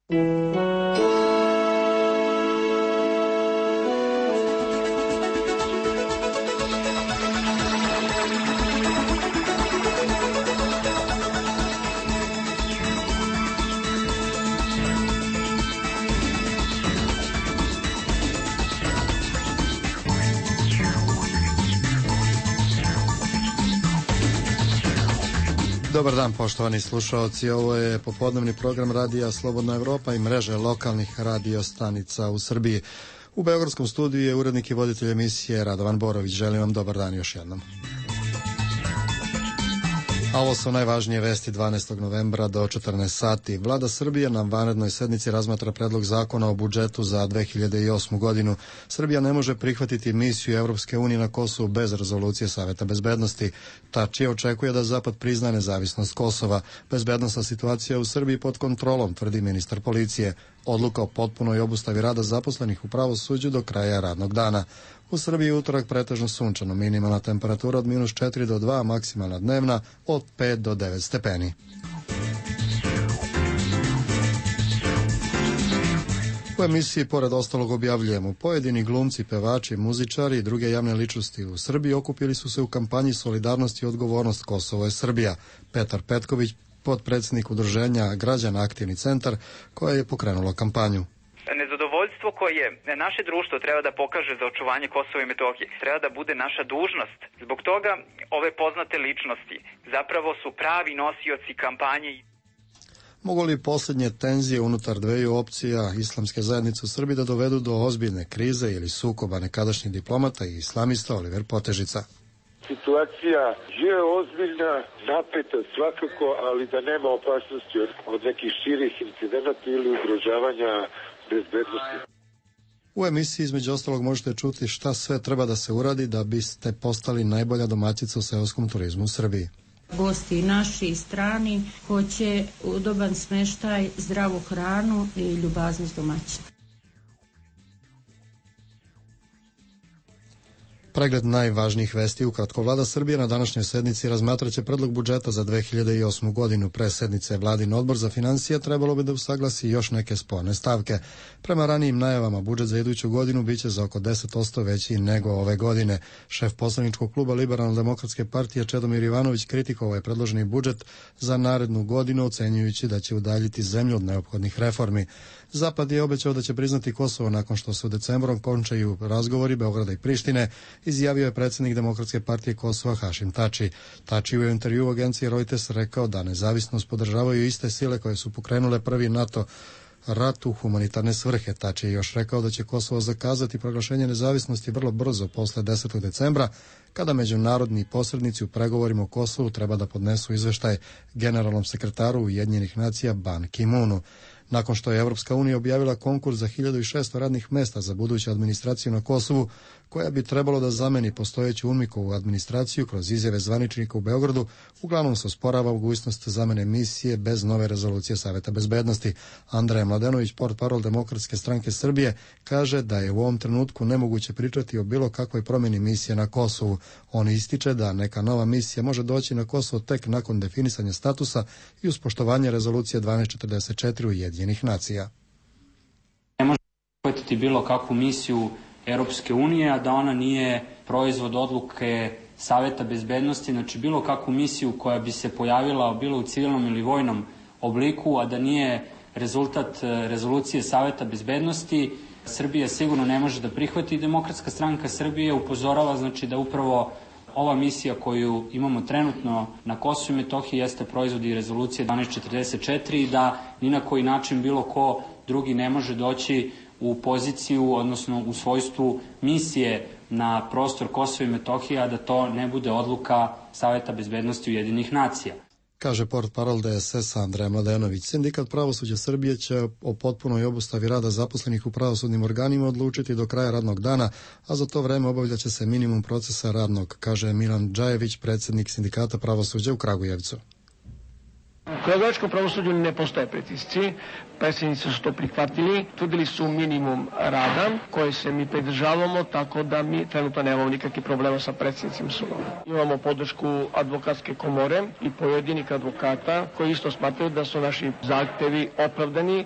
Dobar dan, poštovani slušalci. Ovo je popodnevni program radija Slobodna Evropa i mreže lokalnih radio stanica u Srbiji. U beogradskom studiju je urednik i voditelj emisije Radovan Borović. Želim vam dobar dan još jednom. A ovo su najvažnije vesti 12. novembra do 14 sati. Vlada Srbije na vanrednoj sednici razmatra predlog zakona o budžetu za 2008. godinu. Srbija ne može prihvatiti misiju Evropske unije na Kosovu bez rezolucije Saveta bezbednosti. Tači očekuje da Zapad prizna nezavisnost Kosova. Bezbednosna situacija u Srbiji pod kontrolom, tvrdi ministar policije. Odluka o potpunoj obustavi rada zaposlenih u pravosuđu do kraja radnog dana. U Srbiji je utorak pretežno sunčano, minimalna temperatura od -4 do 2, maksimalna dnevna od 5 do 9 stepeni. U emisiji pored ostalog objavljujemo: pojedini glumci, pevači, muzičari i druge javne ličnosti u Srbiji okupili su se u kampanji Solidarnost i odgovornost Kosovo je Srbija. Petar Petković, potpredsjednik udruženja Građana Aktivni centar, koja je pokrenulo kampanju. Nezadovoljstvo koje naše društvo treba da pokaže za očuvanje Kosova i Metohije treba da bude naša dužnost. Zbog toga ove poznate ličnosti zapravo su pravi nosioci kampanje. Mogu li posljednje tenzije unutar dveju opcija islamske zajednice u Srbiji da dovedu do ozbiljne krize ili sukoba nekadašnjih diplomata i islamista Oliver Potežica? Situacija je ozbiljna, napeta svakako, ali da nema opasnosti od nekih širih incidenata ili ugrožavanja bezbednosti. U emisiji između ostalog možete čuti šta sve treba da se uradi da biste postali najbolja domaćica u seoskom turizmu u Srbiji. Gosti naši i strani hoće udoban smeštaj, zdravu hranu i ljubaznost domaćina. Pregled najvažnijih vesti ukratko. Vlada Srbije na današnjoj sednici razmatraće predlog budžeta za 2008. godinu. Pre sednice Vladin odbor za financije trebalo bi da usaglasi još neke sporne stavke. Prema ranijim najavama, budžet za iduću godinu biće za oko 10% veći nego ove godine. Šef poslaničkog kluba Liberalno-demokratske partije Čedomir Jovanović kritikovao je predloženi budžet za narednu godinu, ocenjujući da će udaljiti zemlju od neophodnih reformi. Zapad je obećao da će priznati Kosovo nakon što se u decembru končaju razgovori Beograda i Prištine, izjavio je predsjednik Demokratske partije Kosova Hašim Tači. Tači u intervjuu agencije Reuters rekao da nezavisnost podržavaju iste sile koje su pokrenule prvi NATO rat u humanitarne svrhe. Tači je još rekao da će Kosovo zakazati proglašenje nezavisnosti vrlo brzo posle 10. decembra, kada međunarodni posrednici u pregovorima o Kosovu treba da podnesu izveštaj generalnom sekretaru Ujedinjenih nacija Ban Ki-moonu. Nakon što je Evropska unija objavila konkurs za 1600 radnih mesta za buduću administraciju na Kosovu, koja bi trebalo da zameni postojeću UNMIK-ovu administraciju kroz izjave zvaničnika u Beogradu, uglavnom se osporava mogućnost zamene misije bez nove rezolucije Saveta bezbednosti. Andrej Mladenović, portparol Demokratske stranke Srbije, kaže da je u ovom trenutku nemoguće pričati o bilo kakvoj promjeni misije na Kosovu. On ističe da neka nova misija može doći na Kosovo tek nakon definisanja statusa i uz poštovanje rezolucije 1244 Ujedinjenih nacija. Ne može prihvatiti bilo kakvu misiju Europske unije, a da ona nije proizvod odluke Saveta bezbednosti, znači bilo kakvu misiju koja bi se pojavila bilo u civilnom ili vojnom obliku, a da nije rezultat rezolucije Saveta bezbednosti, Srbija sigurno ne može da prihvati. Demokratska stranka Srbije upozorava znači da upravo ova misija koju imamo trenutno na Kosovu i Metohiji jeste proizvod i rezolucije 1244 i da ni na koji način bilo ko drugi ne može doći u poziciju, odnosno u svojstvu misije na prostor Kosova i Metohije, a da to ne bude odluka Saveta bezbednosti Ujedinjenih nacija. Kaže portparol DSS-a Andrej Mladenović. Sindikat pravosuđa Srbije će o potpunoj obustavi rada zaposlenih u pravosudnim organima odlučiti do kraja radnog dana, a za to vreme obavljaće se minimum procesa radnog, kaže Milan Džajević, predsjednik Sindikata pravosuđa u Kragujevcu. U kragujevačkom pravosuđu ne postoje pritisci, predsjednici su to prihvatili, tvrdili su minimum rada koje se mi pridržavamo, tako da mi trenutno nemamo nikakvih problema sa predsjednicima sudova. Imamo podršku advokatske komore i pojedinih advokata koji isto smatraju da su naši zahtevi opravdani.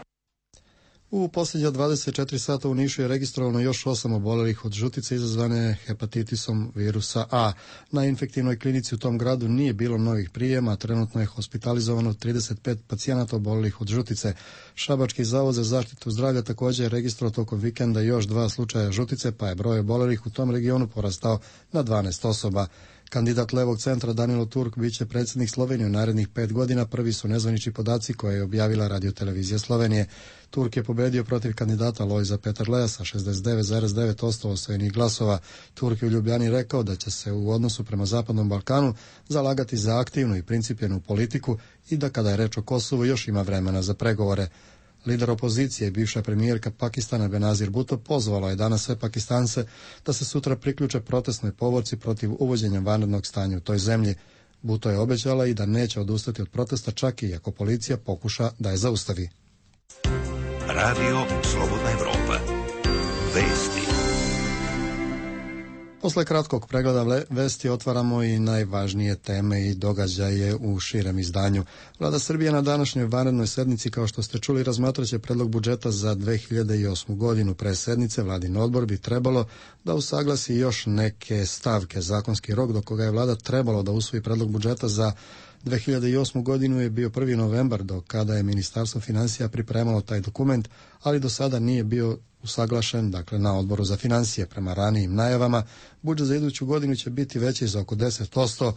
U posljednja 24 sata u Nišu je registrovano još 8 obolelih od žutice izazvane hepatitisom virusa A. Na infektivnoj klinici u tom gradu nije bilo novih prijema, a trenutno je hospitalizovano 35 pacijenata obolelih od žutice. Šabački zavod za zaštitu zdravlja također je registrovao tokom vikenda još 2 slučaja žutice, pa je broj obolelih u tom regionu porastao na 12 osoba. Kandidat Levog centra Danilo Turk biće predsjednik Slovenije u narednih 5 godina, prvi su nezvanični podaci koje je objavila radiotelevizija Slovenije. Turk je pobedio protiv kandidata Lojza Peterleja sa 69,9% osvojenih glasova. Turk je u Ljubljani rekao da će se u odnosu prema Zapadnom Balkanu zalagati za aktivnu i principjenu politiku i da kada je reč o Kosovu još ima vremena za pregovore. Lider opozicije i bivša premijerka Pakistana Benazir Bhutto pozvala je danas sve Pakistance da se sutra priključe protestnoj povorci protiv uvođenja vanrednog stanja u toj zemlji. Bhutto je obećala i da neće odustati od protesta čak i ako policija pokuša da je zaustavi. Radio Slobodna Evropa. Vesti. Posle kratkog pregleda vesti otvaramo i najvažnije teme i događaje u širem izdanju. Vlada Srbije na današnjoj vanrednoj sednici, kao što ste čuli, razmatraće predlog budžeta za 2008. godinu. Pre sednice Vladin odbor bi trebalo da usaglasi još neke stavke. Zakonski rok do koga je vlada trebalo da usvoji predlog budžeta za 2008. godinu je bio 1. novembar, do kada je Ministarstvo financija pripremalo taj dokument, ali do sada nije bio usaglašen, dakle na odboru za financije. Prema ranijim najavama, budžet za iduću godinu će biti veći za oko 10%,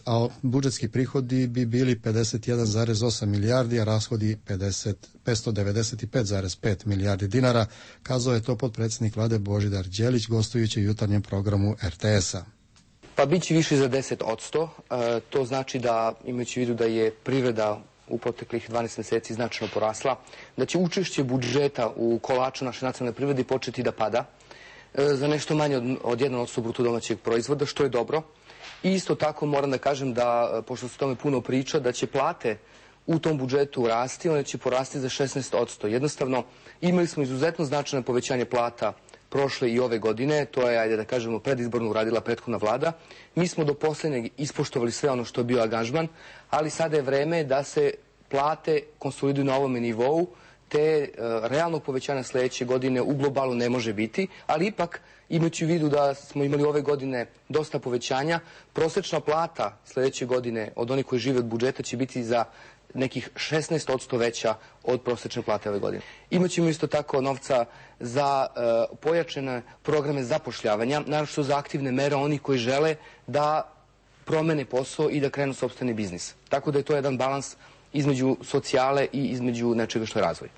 a budžetski prihodi bi bili 51,8 milijardi, a rashodi 595,5 milijardi dinara, kazao je to potpredsjednik vlade Božidar Đelić gostujući u jutarnjem programu RTS-a. Pa bit će više za 10%, to znači da, imajući u vidu da je privreda u proteklih 12 mjeseci značajno porasla, da će učešće budžeta u kolaču naše nacionalne privrede početi da pada za nešto manje od 1% bruto domaćeg proizvoda, što je dobro. I isto tako moram da kažem da, pošto se o tome puno priča, da će plate u tom budžetu rasti, one će porasti za 16%. Jednostavno, imali smo izuzetno značajno povećanje plata prošle i ove godine, to je, ajde da kažemo, predizborno uradila prethodna vlada. Mi smo do posljednjeg ispoštovali sve ono što je bio angažman, ali sada je vreme da se plate konsoliduju na ovome nivou, te realnog povećanja sljedeće godine u globalu ne može biti, ali ipak, imajući u vidu da smo imali ove godine dosta povećanja, prosječna plata sljedeće godine od onih koji žive od budžeta će biti za nekih 16% veća od prosječne plate ove godine. Imaćemo isto tako novca za pojačane programe zapošljavanja, naročito za aktivne mere onih koji žele da promene posao i da krenu sopstveni biznis. Tako da je to jedan balans između socijale i između nečega što je razvoj.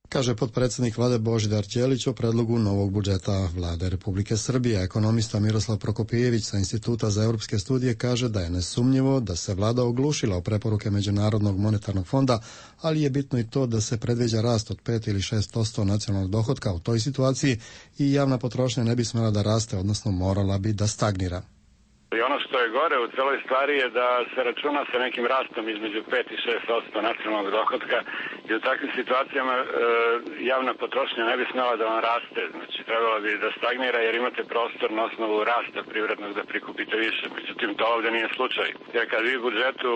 Kaže potpredsjednik vlade Božidar Đelić o predlogu novog budžeta vlade Republike Srbije. Ekonomista Miroslav Prokopijević sa Instituta za europske studije kaže da je nesumnjivo da se vlada oglušila o preporuke Međunarodnog monetarnog fonda, ali je bitno i to da se predviđa rast od 5 ili 6% nacionalnog dohotka u toj situaciji i javna potrošnja ne bi smjela da raste, odnosno morala bi da stagnira. I ono što je gore u celoj stvari je da se računa sa nekim rastom između 5 i 6% nacionalnog dohotka i u takvim situacijama javna potrošnja ne bi smjela da vam raste. Znači, trebala bi da stagnira jer imate prostor na osnovu rasta privrednog da prikupite više. Međutim, to ovdje nije slučaj. Jer kad vi u budžetu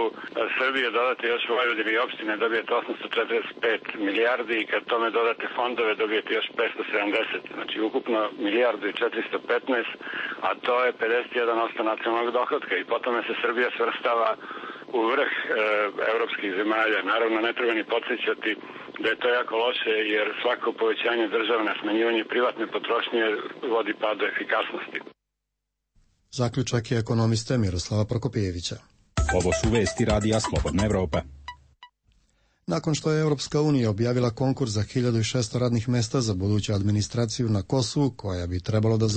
Srbije dodate još Vojvodine i opštine, dobijete 845 milijardi i kad tome dodate fondove, dobijete još 570. Znači, ukupno milijardu i 415, a to je 51% nacionalnog dohotka i potom se Srbija svrstava u vrh evropskih zemalja. Naravno, ne treba ni podsjećati da je to jako loše jer svako povećanje državne, smanjivanje privatne potrošnje vodi padu efikasnosti. Zaključak je ekonomiste Miroslava Prokopijevića. Ovo su vesti Radija Slobodna Evropa. Nakon što je Europska unija objavila konkurs za 1600 radnih mesta za buduću administraciju na Kosovu, koja bi trebalo da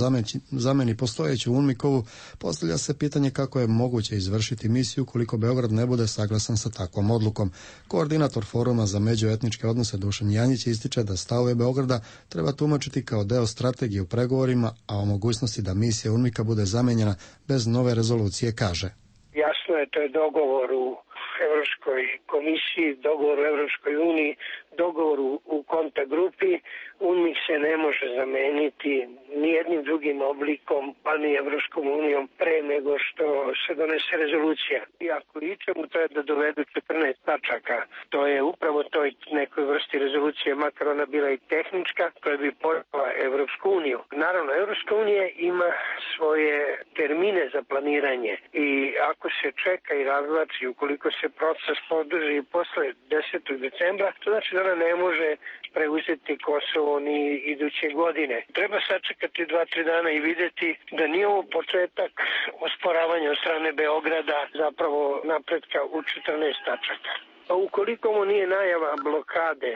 zameni postojeću UNMIK-ovu, postavlja se pitanje kako je moguće izvršiti misiju koliko Beograd ne bude saglasan sa takvom odlukom. Koordinator Foruma za međuetničke odnose Dušan Janjić ističe da stavove Beograda treba tumačiti kao deo strategije u pregovorima, a o mogućnosti da misija UNMIK-a bude zamenjena bez nove rezolucije kaže. Jasno je, to je dogovor u Evropskoj komisiji, dogovor u Evropskoj uniji, dogovor u kontakt grupi. UNMIK se ne može zameniti nijednim drugim oblikom, pa ni Evropskom unijom pre nego što se donese rezolucija. I ako ičemu, to je da dovedu 14 tačaka. To je upravo toj nekoj vrsti rezolucije, makar ona bila i tehnička, koja bi pojela Evropsku uniju. Naravno, Evropska unija ima svoje termine za planiranje i ako se čeka i razvlači, ukoliko se proces podrži posle 10. decembra, to znači da ona ne može preuzeti Kosovo ni iduće godine. Treba sačekati 2-3 dana i videti da nije ovo početak osporavanja od strane Beograda, zapravo napretka u 14 tačaka. A ukoliko mu nije najava blokade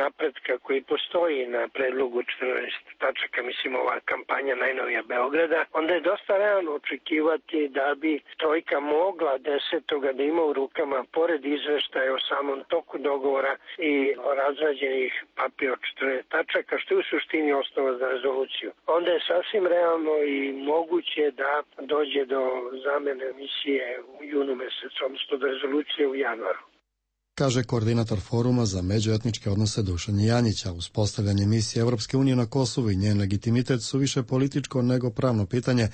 napretka koji postoji na predlogu 14 tačaka, mislim ova kampanja najnovija Beograda, onda je dosta realno očekivati da bi trojka mogla 10. da ima u rukama, pored izveštaja o samom toku dogovora i razrađenih papira od 14 tačaka, što je u suštini osnova za rezoluciju. Onda je sasvim realno i moguće da dođe do zamene misije u junu mesecu, odnosno do rezolucije u januaru. Kaže koordinator foruma za međuetničke odnose Dušan Janjić, a uspostavljanje misije Evropske unije na Kosovu i njen legitimitet su više političko nego pravno pitanje,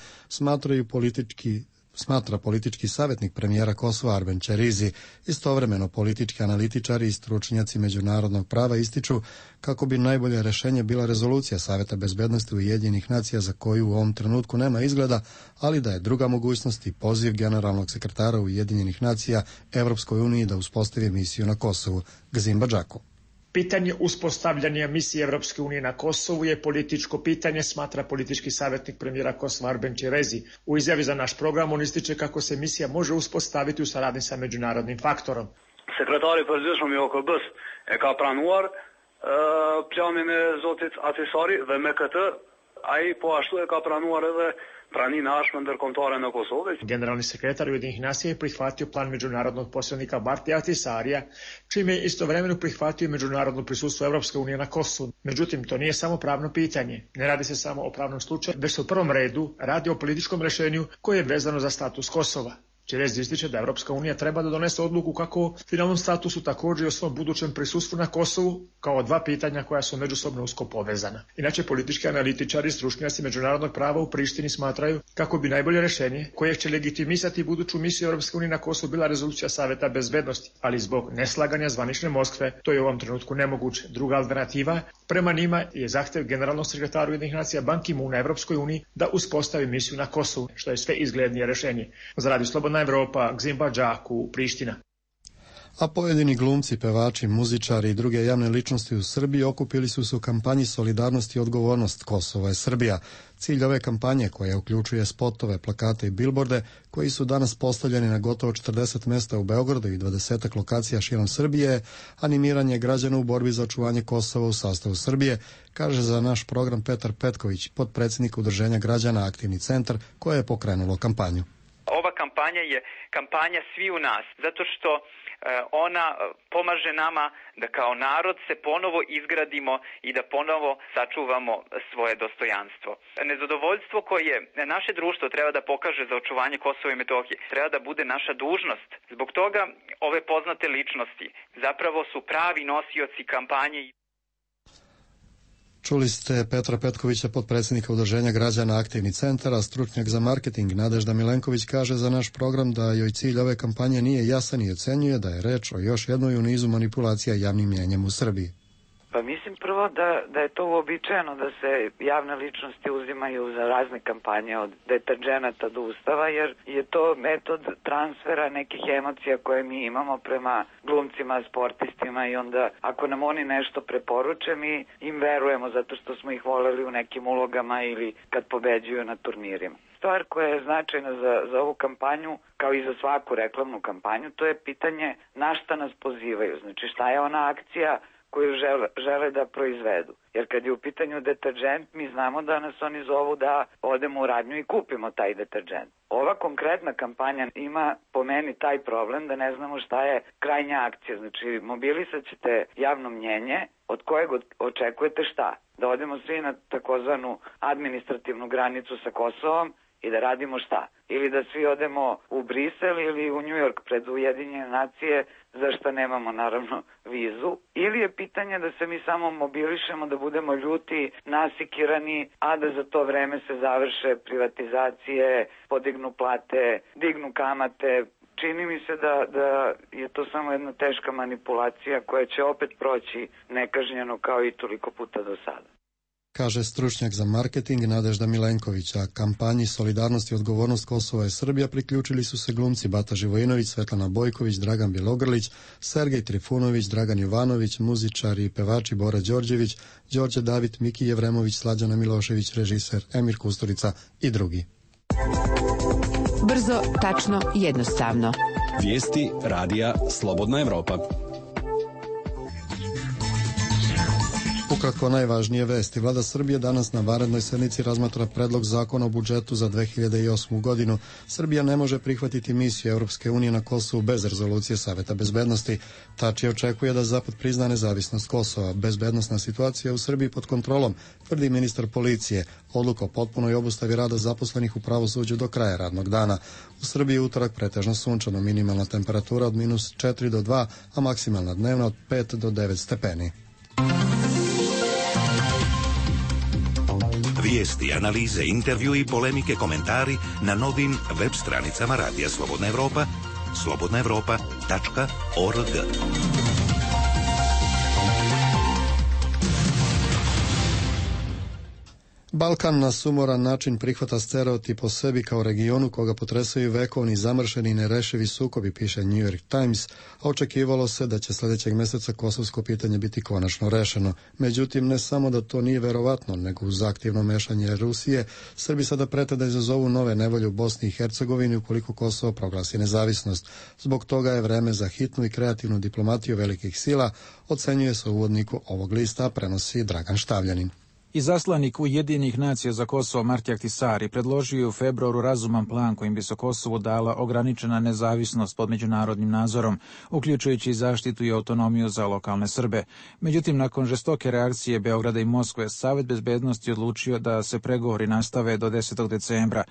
smatra politički savjetnik premijera Kosova Arben Ćerizi. Istovremeno politički analitičari i stručnjaci međunarodnog prava ističu kako bi najbolje rješenje bila rezolucija Saveta bezbednosti Ujedinjenih nacija za koju u ovom trenutku nema izgleda, ali da je druga mogućnost i poziv generalnog sekretara Ujedinjenih nacija Evropskoj uniji da uspostavi misiju na Kosovu, Gzimba Džako. Pitanje uspostavljanja misije Evropske unije na Kosovu je političko pitanje, smatra politički savjetnik premijera Kosova Arben Ćerizi. U izjavi za naš program on ističe kako se misija može uspostaviti u saradnji sa međunarodnim faktorom. Sekretari përgjithshëm i OKB-s e ka pranuar planin e zotit Atisari dhe me këtë ai po ashtu e ka pranuar edhe praninë e ashme ndërkombëtare në Kosovë. Generalni sekretar Ujedinjenih nacija je prihvatio plan međunarodnog posrednika Bartija Atisarija, čime je istovremeno prihvatio međunarodno prisustvo Evropske unije na Kosovu. Međutim, to nije samo pravno pitanje. Ne radi se samo o pravnom slučaju, već se u prvom redu radi o političkom rješenju koje je vezano za status Kosova. Ćerizi ističe da Evropska unija treba da donese odluku kako o finalnom statusu, također i o svom budućem prisustvu na Kosovu, kao dva pitanja koja su međusobno usko povezana. Inače, politički analitičari i stručnjaci međunarodnog prava u Prištini smatraju kako bi najbolje rješenje koje će legitimisati buduću misiju Evropske unije na Kosovu bila rezolucija Saveta bezbednosti, ali zbog neslaganja zvanične Moskve to je u ovom trenutku nemoguće. Druga alternativa prema njima je zahtjev generalnog sekretara Ujedinjenih nacija Ban Ki-moona Evropskoj uniji da uspostavi misiju na Kosovu, što je sve izglednije rješenje. Za Radio Slobodna Evropa, Gzimba Džaku, Priština. A pojedini glumci, pevači, muzičari i druge javne ličnosti u Srbiji okupili su se u kampanji Solidarnost i odgovornost Kosovo je Srbija. Cilj ove kampanje, koja uključuje spotove, plakate i bilborde, koji su danas postavljeni na gotovo 40 mesta u Beogradu i 20 lokacija širom Srbije, animiranje građana u borbi za očuvanje Kosova u sastavu Srbije, kaže za naš program Petar Petković, potpredsjednik Udruženja građana Aktivni centar, koje je pokrenulo kampanju. Ova kampanja je kampanja svi u nas, zato što ona pomaže nama da kao narod se ponovo izgradimo i da ponovo sačuvamo svoje dostojanstvo. Nezadovoljstvo koje naše društvo treba da pokaže za očuvanje Kosova i Metohije treba da bude naša dužnost. Zbog toga ove poznate ličnosti zapravo su pravi nosioci kampanje. Čuli ste Petra Petkovića, potpredsjednika Udruženja građana Aktivni centar, a stručnjak za marketing Nadežda Milenković kaže za naš program da joj cilj ove kampanje nije jasan i ocenjuje da je reč o još jednoj u nizu manipulacija javnim mnijenjem u Srbiji. Pa mislim prvo da je to uobičajeno da se javne ličnosti uzimaju za razne kampanje od deterdženata do ustava, jer je to metod transfera nekih emocija koje mi imamo prema glumcima, sportistima i onda ako nam oni nešto preporuče mi im verujemo zato što smo ih voleli u nekim ulogama ili kad pobeđuju na turnirima. Stvar koja je značajna za ovu kampanju, kao i za svaku reklamnu kampanju, to je pitanje na šta nas pozivaju. Znači šta je ona akcija koju žele da proizvedu. Jer kad je u pitanju deterdžent, mi znamo da nas oni zovu da odemo u radnju i kupimo taj deterdžent. Ova konkretna kampanja ima po meni taj problem da ne znamo šta je krajnja akcija. Znači, mobilisat ćete javno mnjenje od kojeg očekujete šta? Da odemo svi na takozvanu administrativnu granicu sa Kosovom i da radimo šta? Ili da svi odemo u Brisel ili u New York pred Ujedinjene nacije, za što nemamo naravno vizu. Ili je pitanje da se mi samo mobilišemo, da budemo ljuti, nasikirani, a da za to vreme se završe privatizacije, podignu plate, dignu kamate, čini mi se da je to samo jedna teška manipulacija koja će opet proći nekažnjeno kao i toliko puta do sada. Kaže stručnjak za marketing Nadežda Milenković, a kampanji Solidarnost i odgovornost Kosova i Srbija priključili su se glumci Bata Živojinović, Svetlana Bojković, Dragan Bjelogrlić, Sergej Trifunović, Dragan Jovanović, muzičari i pevači Bora Đorđević, Đorđe David, Miki Jevremović, Slađana Milošević, režiser Emir Kusturica i drugi. Brzo, tačno, jednostavno. Vijesti radija Slobodna Evropa. Ukratko najvažnije vesti. Vlada Srbije danas na vanrednoj sednici razmatra predlog zakona o budžetu za 2008. godinu. Srbija ne može prihvatiti misiju Europske unije na Kosovu bez rezolucije Saveta bezbednosti. Tači očekuje da Zapad prizna nezavisnost Kosova. Bezbednosna situacija u Srbiji pod kontrolom, tvrdi ministar policije. Odluka o potpunoj obustavi rada zaposlenih u pravosuđu do kraja radnog dana. U Srbiji je utorak pretežno sunčano, minimalna temperatura od -4 do 2, a maksimalna dnevna od 5 do 9 stepeni. Vijesti, analize, intervju i polemike, komentari na novim web stranicama Radija Slobodna Evropa, slobodnaevropa.org. Balkan na sumoran način prihvata stereotip o sebi kao regionu koga potresaju vekovni, zamršeni i nerešivi sukobi, piše New York Times, a očekivalo se da će sljedećeg mjeseca kosovsko pitanje biti konačno rešeno. Međutim, ne samo da to nije verovatno, nego uz aktivno mešanje Rusije, Srbi sada prete da izazovu nove nevolje u Bosni i Hercegovini ukoliko Kosovo proglasi nezavisnost. Zbog toga je vreme za hitnu i kreativnu diplomatiju velikih sila, ocenjuje se u uvodniku ovog lista, prenosi Dragan Štavljanin. Izaslanik Ujedinjenih nacija za Kosovo Marti Ahtisaari predložio je u februaru razuman plan kojim bi se Kosovu dala ograničena nezavisnost pod međunarodnim nadzorom, uključujući i zaštitu i autonomiju za lokalne Srbe. Međutim, nakon žestoke reakcije Beograda i Moskve, Savet bezbednosti odlučio da se pregovori nastave do 10. decembra.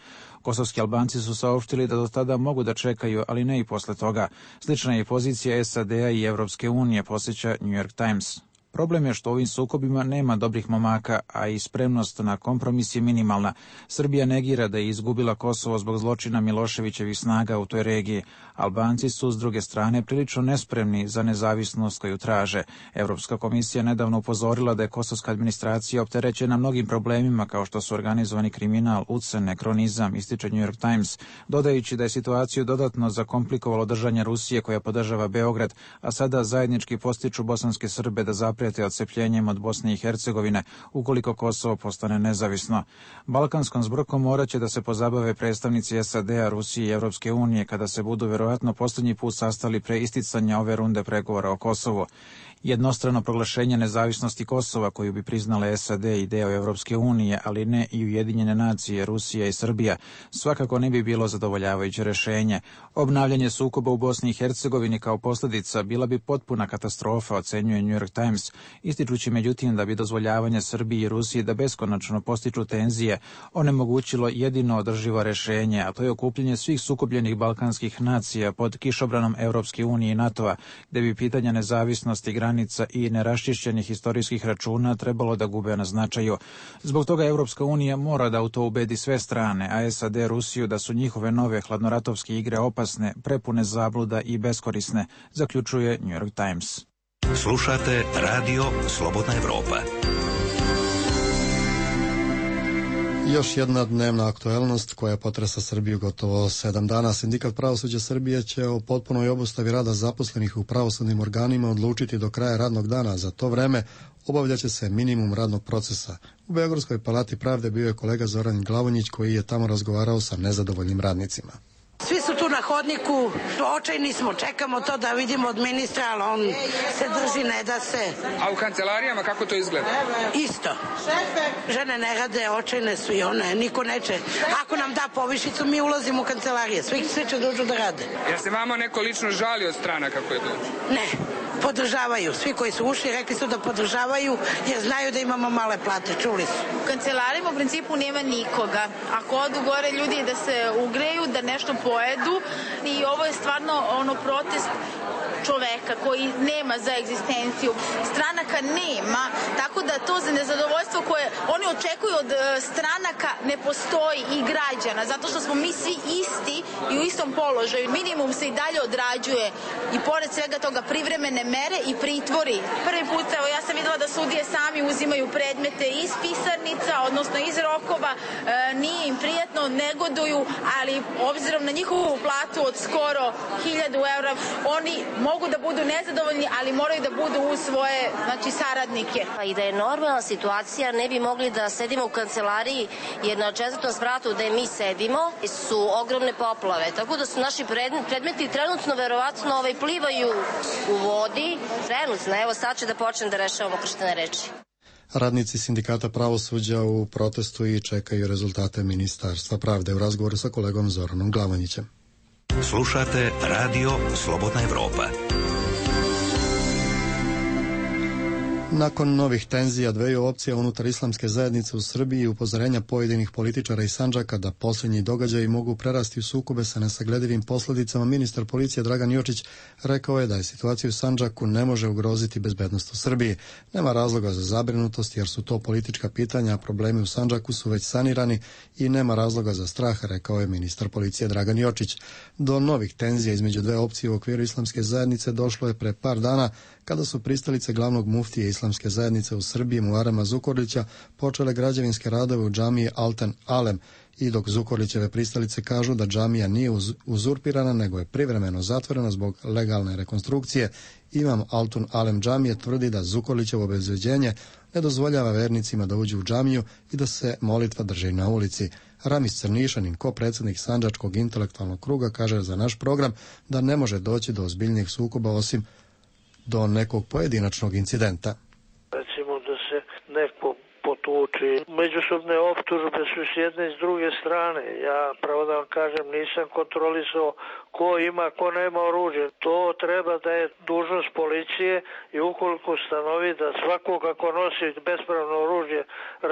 Kosovski Albanci su saopštili da do tada mogu da čekaju, ali ne i posle toga. Slična je pozicija SAD-a i Evropske unije, posjeća New York Times. Problem je što u ovim sukobima nema dobrih momaka, a i spremnost na kompromis je minimalna. Srbija negira da je izgubila Kosovo zbog zločina Miloševićevih snaga u toj regiji. Albanci su, s druge strane, prilično nespremni za nezavisnost koju traže. Evropska komisija nedavno upozorila da je kosovska administracija opterećena mnogim problemima kao što su organizovani kriminal, ucene, kronizam, ističe New York Times, dodajući da je situaciju dodatno zakomplikovalo držanje Rusije koja podržava Beograd, a sada zajednički postiču bosanske Srbe da zaprijete odcepljenjem od Bosne i Hercegovine ukoliko Kosovo postane nezavisno. Balkanskom zbrkom moraće da se pozabave predstavnici SAD-a, Rusije i Evropske unije kada se budu verovatno posljednji put sastali pre isticanja ove runde pregovora o Kosovu. Jednostrano proglašenje nezavisnosti Kosova koju bi priznale SAD i deo Evropske unije, ali ne i Ujedinjene nacije, Rusija i Srbija, svakako ne bi bilo zadovoljavajuće rešenje. Obnavljanje sukoba u Bosni i Hercegovini kao posljedica bila bi potpuna katastrofa, ocenjuje New York Times, ističući međutim da bi dozvoljavanje Srbiji i Rusiji da beskonačno postiču tenzije onemogućilo jedino održivo rešenje, a to je okupljanje svih sukobljenih balkanskih nacija pod kišobranom Evropske unije i NATO-a, gde bi pitanja nezavisnosti, granica i neraščišćenih istorijskih računa trebalo da gube na značaju. Zbog toga Evropska unija mora da u to ubedi sve strane, a SAD Rusiju da su njihove nove hladnoratovske igre opasne, prepune zabluda i beskorisne, zaključuje New York Times. Slušate Radio Slobodna Evropa. Još jedna dnevna aktuelnost koja potresa Srbiju gotovo 7 dana. Sindikat pravosuđa Srbije će o potpunoj obustavi rada zaposlenih u pravosudnim organima odlučiti do kraja radnog dana. Za to vreme obavljaće se minimum radnog procesa. U Beogradskoj palati pravde bio je kolega Zoran Glavonjić koji je tamo razgovarao sa nezadovoljnim radnicima. Svi su tu na hodniku, očajni smo, čekamo to da vidimo od ministra, ali on se drži, ne da se. A u kancelarijama kako to izgleda? Isto. Žene ne rade, očajne su i one, niko neće. Ako nam da povišicu, mi ulazimo u kancelarije, svi će dođu da rade. Jer se vama neko lično žali od strana kako je dođu? Ne. podržavaju. Svi koji su ušli rekli su da podržavaju jer znaju da imamo male plate, čuli su. U kancelarima u principu nema nikoga. Ako odu gore ljudi da se ugreju, da nešto pojedu i ovo je stvarno protest čoveka koji nema za egzistenciju. Stranaka nema, tako da to za nezadovoljstvo koje oni očekuju od stranaka ne postoji i građana, zato što smo mi svi isti i u istom položaju. Minimum se i dalje odrađuje i pored svega toga privremene mere i pritvori. Prvi put, evo, ja sam videla da sudije sami uzimaju predmete iz pisarnica, odnosno iz rokova, nije im prijatno, negoduju, ali obzirom na njihovu platu od skoro 1000 evra, oni mogu da budu nezadovoljni, ali moraju da budu uz svoje saradnike. I da je normalna situacija, ne bi mogli da sedimo u kancelariji, jer na 4. spratu gde mi sedimo su ogromne poplave, tako da su naši predmeti trenutno verovatno plivaju u vodi. Trenutno, evo sad će da počnem da rešavamo krštene reči. Radnici sindikata pravosuđa u protestu i čekaju rezultate Ministarstva pravde u razgovoru sa kolegom Zoranom Glavanjićem. Slušate Radio Slobodna Evropa. Nakon novih tenzija dveju opcija unutar islamske zajednice u Srbiji i upozorenja pojedinih političara iz Sandžaka da posljednji događaji mogu prerasti u sukobe sa nesagledivim posljedicama, ministar policije Dragan Jočić rekao je da je situacija u Sandžaku ne može ugroziti bezbednost u Srbiji. Nema razloga za zabrinutost jer su to politička pitanja, a problemi u Sandžaku su već sanirani i nema razloga za strah, rekao je ministar policije Dragan Jočić. Do novih tenzija između dve opcije u okviru islamske zajednice došlo je pre par dana kada su pristalice glavnog muftije islamske zajednice u Srbiji Muarema Zukorlića počele građevinske radove u džamiji Alten Alem i dok Zukorlićeve pristalice kažu da džamija nije uzurpirana nego je privremeno zatvorena zbog legalne rekonstrukcije, imam Altun Alem džamije tvrdi da Zukorlićevo obezbeđenje ne dozvoljava vernicima da uđu u džamiju i da se molitva drži na ulici. Ramis Crnišanin, ko-predsjednik Sandžačkog intelektualnog kruga, kaže za naš program da ne može doći do ozbiljnijih sukoba osim do nekog pojedinačnog incidenta. Recimo da se neko potuči. Međusobne optužbe su s jedne i s druge strane. Ja, pravo da vam kažem, nisam kontrolisao ko ima, ko nema oružje. To treba da je dužnost policije i ukoliko ustanovi da svakog ako nosi bespravno oružje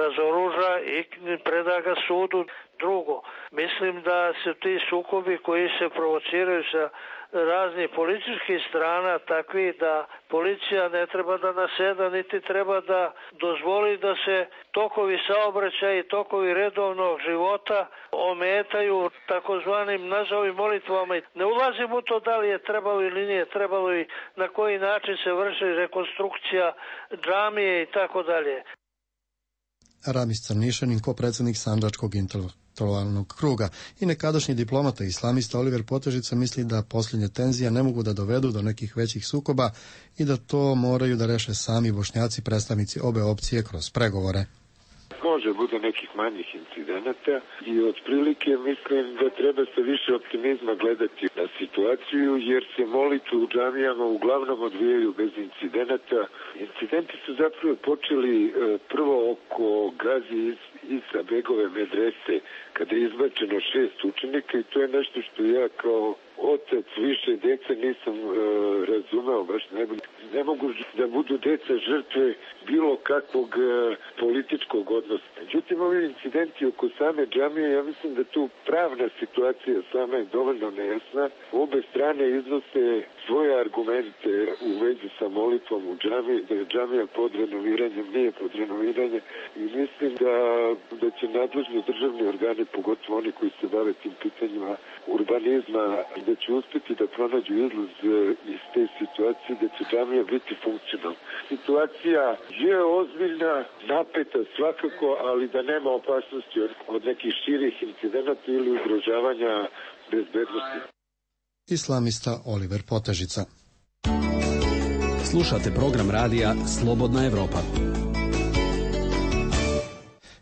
razoruža i preda ga sudu. Drugo, mislim da se ti sukobi koji se provociraju sa raznih policijskih strana takvi da policija ne treba da naseda niti treba da dozvoli da se tokovi saobraćaja i tokovi redovnog života ometaju takozvanim nazovi molitvama. Ne ulazim u to da li je trebalo ili nije trebalo i na koji način se vrši rekonstrukcija džamije i tako dalje. Ramis Crnišanin, ko-predsjednik Sandžačkog intelektualnog kruga i nekadašnji diplomata islamista Oliver Potežica misli da posljednje tenzije ne mogu da dovedu do nekih većih sukoba i da to moraju da reše sami Bošnjaci, predstavnici obe opcije kroz pregovore. Može bude nekih manjih incidenata i otprilike mislim da treba sa više optimizma gledati na situaciju jer se molitve u džamijama uglavnom odvijaju bez incidenata. Incidenti su zapravo počeli prvo oko Gazi Isa Begove medrese kada je izbačeno 6 učenika i to je nešto što ja kao otac više dece nisam razumeo baš najbolje. Ne mogu da budu deca žrtve bilo kakvog političkog odnosa. Međutim, ovi incidenti oko same džamije, ja mislim da tu pravna situacija sama je dovoljno nejasna. Obe strane iznose svoje argumente u vezi sa molitvom u džamiji, da je džamija pod renoviranjem, nije pod renoviranjem i mislim da će nadležni državni organi, pogotovo oni koji se bave tim pitanjima urbanizma, da će uspjeti da pronađu izlaz iz te situacije, da će džamija biti funkcionalna. Situacija je ozbiljna, napeta svakako, ali da nema opasnosti od nekih širih incidenata ili ugrožavanja bezbednosti. Islamista Oliver Potežica. Slušate program radija Slobodna Evropa.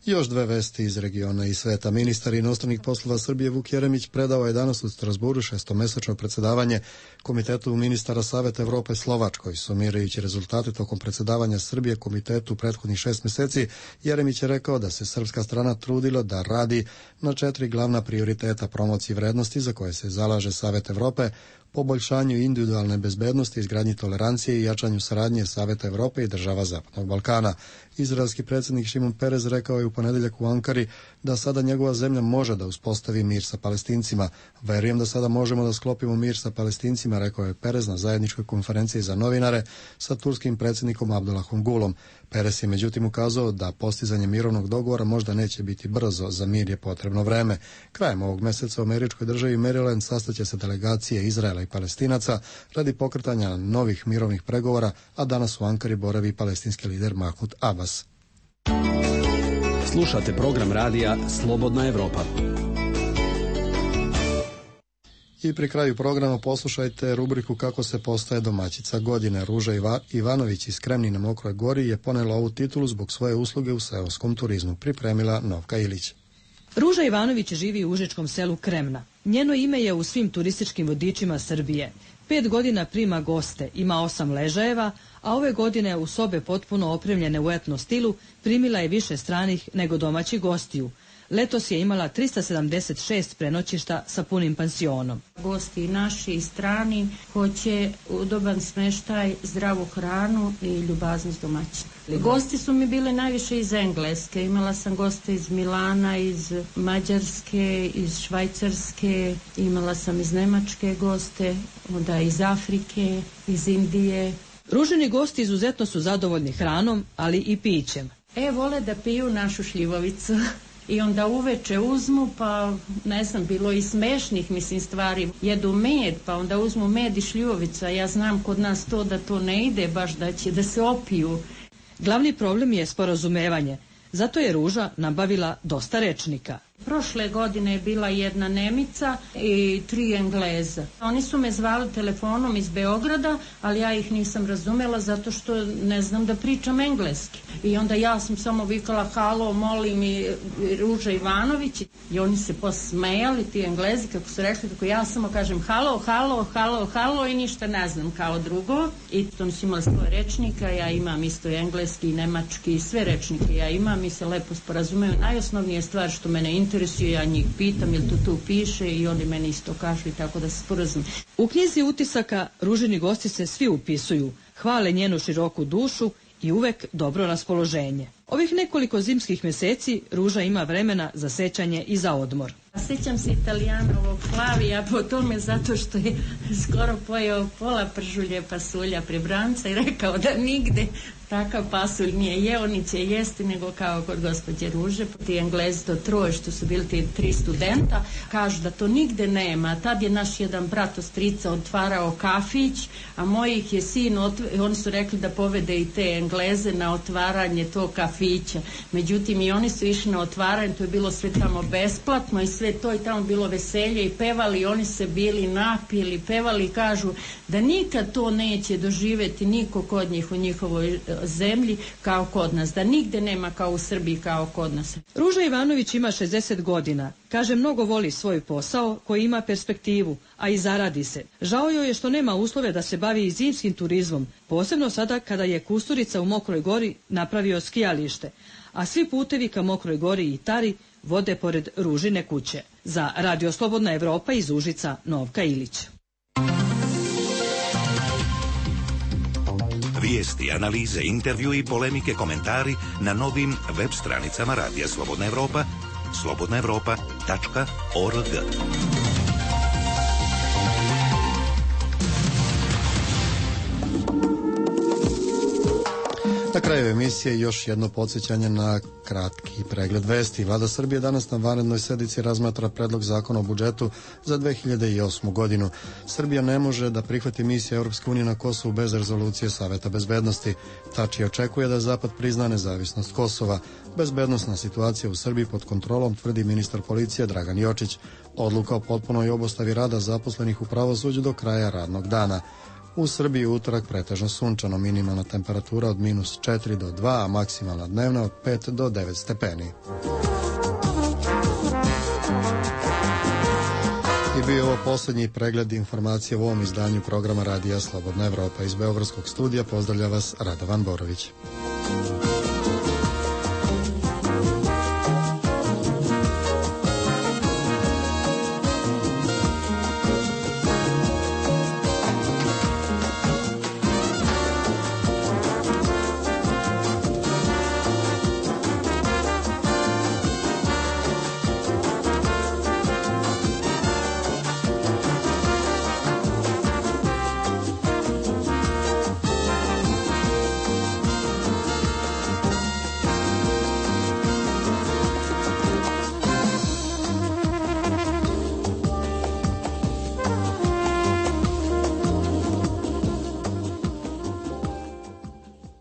Još dve vesti iz regiona i sveta. Ministar inostranih poslova Srbije Vuk Jeremić predao je danas u Strasburu šestomesečno predsjedavanje Komitetu ministara Saveta Evrope Slovačkoj. Sumirajući rezultate tokom predsjedavanja Srbije komitetu prethodnih 6 mjeseci, Jeremić je rekao da se srpska strana trudila da radi na 4 glavna prioriteta promocije vrednosti za koje se zalaže Savet Evrope, poboljšanju individualne bezbednosti, izgradnji tolerancije i jačanju saradnje Saveta Evrope i država Zapadnog Balkana. Izraelski predsjednik Šimon Perez rekao je u ponedeljak u Ankari da sada njegova zemlja može da uspostavi mir sa Palestincima. Verujem da sada možemo da sklopimo mir sa Palestincima, rekao je Perez na zajedničkoj konferenciji za novinare sa turskim predsjednikom Abdullahom Gulom. Perez je međutim ukazao da postizanje mirovnog dogovora možda neće biti brzo, za mir je potrebno vreme. Krajem ovog meseca u američkoj državi Maryland sastaće se delegacije Izraela i Palestinaca radi pokretanja novih mirovnih pregovora, a danas u Ankari boravi palestinski lider Mahmud Abbas. Slušate program radija Slobodna Evropa. I pri kraju programa poslušajte rubriku Kako se postaje domaćica godine. Ruža Ivanović iz Kremni na Mokroj Gori je ponela ovu titulu zbog svoje usluge u seoskom turizmu. Pripremila Novka Ilić. Ruža Ivanović živi u užičkom selu Kremna. Njeno ime je u svim turističkim vodičima Srbije. 5 godina prima goste, ima 8 ležajeva, a ove godine u sobe potpuno opremljene u etno stilu primila je više stranih nego domaćih gostiju. Letos je imala 376 prenoćišta sa punim pansionom. Gosti naši i strani hoće udoban smeštaj, zdravu hranu i ljubaznost domaćina. Gosti su mi bile najviše iz Engleske. Imala sam goste iz Milana, iz Mađarske, iz Švajcarske, imala sam iz Nemačke goste, onda iz Afrike, iz Indije. Ružini gosti izuzetno su zadovoljni hranom, ali i pićem. Vole da piju našu šljivovicu. I onda uveče uzmu, pa ne znam, bilo i smešnih, stvari. Jedu med, pa onda uzmu med i šljivovicu, a ja znam kod nas to da to ne ide, baš da će da se opiju. Glavni problem je sporazumevanje. Zato je Ruža nabavila dosta rečnika. Prošle godine je bila jedna Nemica i 3 Engleza. Oni su me zvali telefonom iz Beograda, ali ja ih nisam razumela zato što ne znam da pričam engleski. I onda ja sam samo vikala halo, molim i Ruža Ivanović. I oni se posmejali, ti Englezi, kako su rekli, tako ja samo kažem halo, halo, halo, halo i ništa ne znam kao drugo. I to su imali 100 rečnika, ja imam isto engleski, nemački, sve rečnike ja imam i se lepo sporazumeju. Najosnovnije stvar što mene interesuje, ja njih pitam jel to tu piše i oni meni isto kažu i tako da se sporazum. U knjizi utisaka Ružini gosti se svi upisuju, hvale njenu široku dušu i uvek dobro raspoloženje. Ovih nekoliko zimskih meseci Ruža ima vremena za sećanje i za odmor. Sjećam se Italijanovog Flavija po tome zato što je skoro pojeo pola pržulje pasulja pri Branca i rekao da nigde takav pasulj nije jeo, ni će jesti nego kao kod gospođe Ruže. Ti Englezi to troje što su bili ti 3 studenta kažu da to nigde nema. Tad je naš jedan brat od strica otvarao kafić, a mojih je sin, oni su rekli da povede i te Engleze na otvaranje tog kafića. Međutim i oni su išli na otvaranje, to je bilo sve tamo besplatno i sve to i tamo bilo veselje i pevali, oni se bili napili, pevali i kažu da nikad to neće doživjeti niko kod njih u njihovoj zemlji kao kod nas, da nigde nema kao u Srbiji kao kod nas. Ruža Ivanović ima 60 godina. Kaže, mnogo voli svoj posao koji ima perspektivu, a i zaradi se. Žao joj je što nema uslove da se bavi i zimskim turizmom, posebno sada kada je Kusturica u Mokroj Gori napravio skijalište, a svi putevi ka Mokroj Gori i Tari vode pored Ružine kuće. Za Radio Slobodna Evropa iz Užica, Novka Ilić. Vijesti, analize, intervju i polemike, komentari na novim web stranicama Radija Slobodna Evropa, slobodnaevropa.org. Na kraju emisije još jedno podsjećanje na kratki pregled vesti. Vlada Srbije danas na vanrednoj sednici razmatra predlog zakona o budžetu za 2008. godinu. Srbija ne može da prihvati misiju Europske unije na Kosovu bez rezolucije Saveta bezbednosti. Tači očekuje da Zapad prizna nezavisnost Kosova. Bezbednosna situacija u Srbiji pod kontrolom, tvrdi ministar policije Dragan Jočić. Odluka o potpunoj obustavi rada zaposlenih u pravosuđu do kraja radnog dana. U Srbiji utorak pretežno sunčano, minimalna temperatura od -4 do 2, a maksimalna dnevna od 5 do 9 stepeni. I bio ovo posljednji pregled informacije u ovom izdanju programa Radija Slobodna Evropa. Iz Beogradskog studija pozdravlja vas Radovan Borović.